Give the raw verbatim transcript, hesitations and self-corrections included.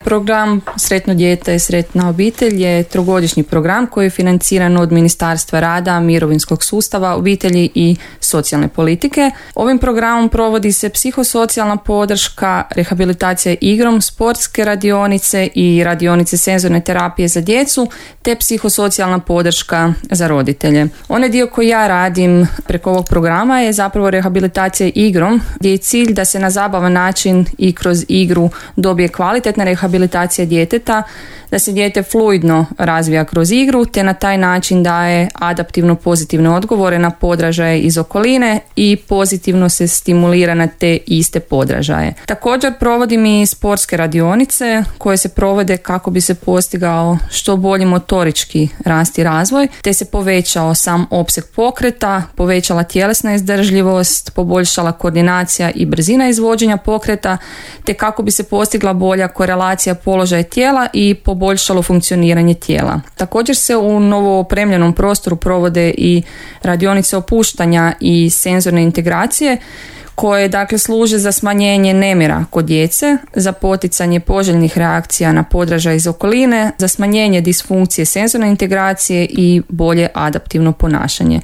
Program Sretno dijete, sretna obitelj je trogodišnji program koji je financiran od Ministarstva rada, mirovinskog sustava, obitelji i socijalne politike. Ovim programom provodi se psihosocijalna podrška, rehabilitacija igrom, sportske radionice i radionice senzorne terapije za djecu, te psihosocijalna podrška za roditelje. Onaj dio koji ja radim preko ovog programa je zapravo rehabilitacija igrom, gdje je cilj da se na zabavan način i kroz igru dobije kvalitetna rehabilitacija djeteta, da se dijete fluidno razvija kroz igru, te na taj način daje adaptivno pozitivne odgovore na podražaje iz okoline i pozitivno se stimulira na te iste podražaje. Također provodim i sportske radionice koje se provode kako bi se postigao što bolji motorički rast i razvoj, te se povećao sam opseg pokreta, povećala tjelesna izdržljivost, poboljšala koordinacija i brzina izvođenja pokreta, te kako bi se postigla bolja korelacija položaja tijela i poboljšalo funkcioniranje tijela. Također se u novo opremljenom prostoru provode i radionice opuštanja i senzorne integracije koje dakle služe za smanjenje nemira kod djece, za poticanje poželjnih reakcija na podražaj iz okoline, za smanjenje disfunkcije senzorne integracije i bolje adaptivno ponašanje.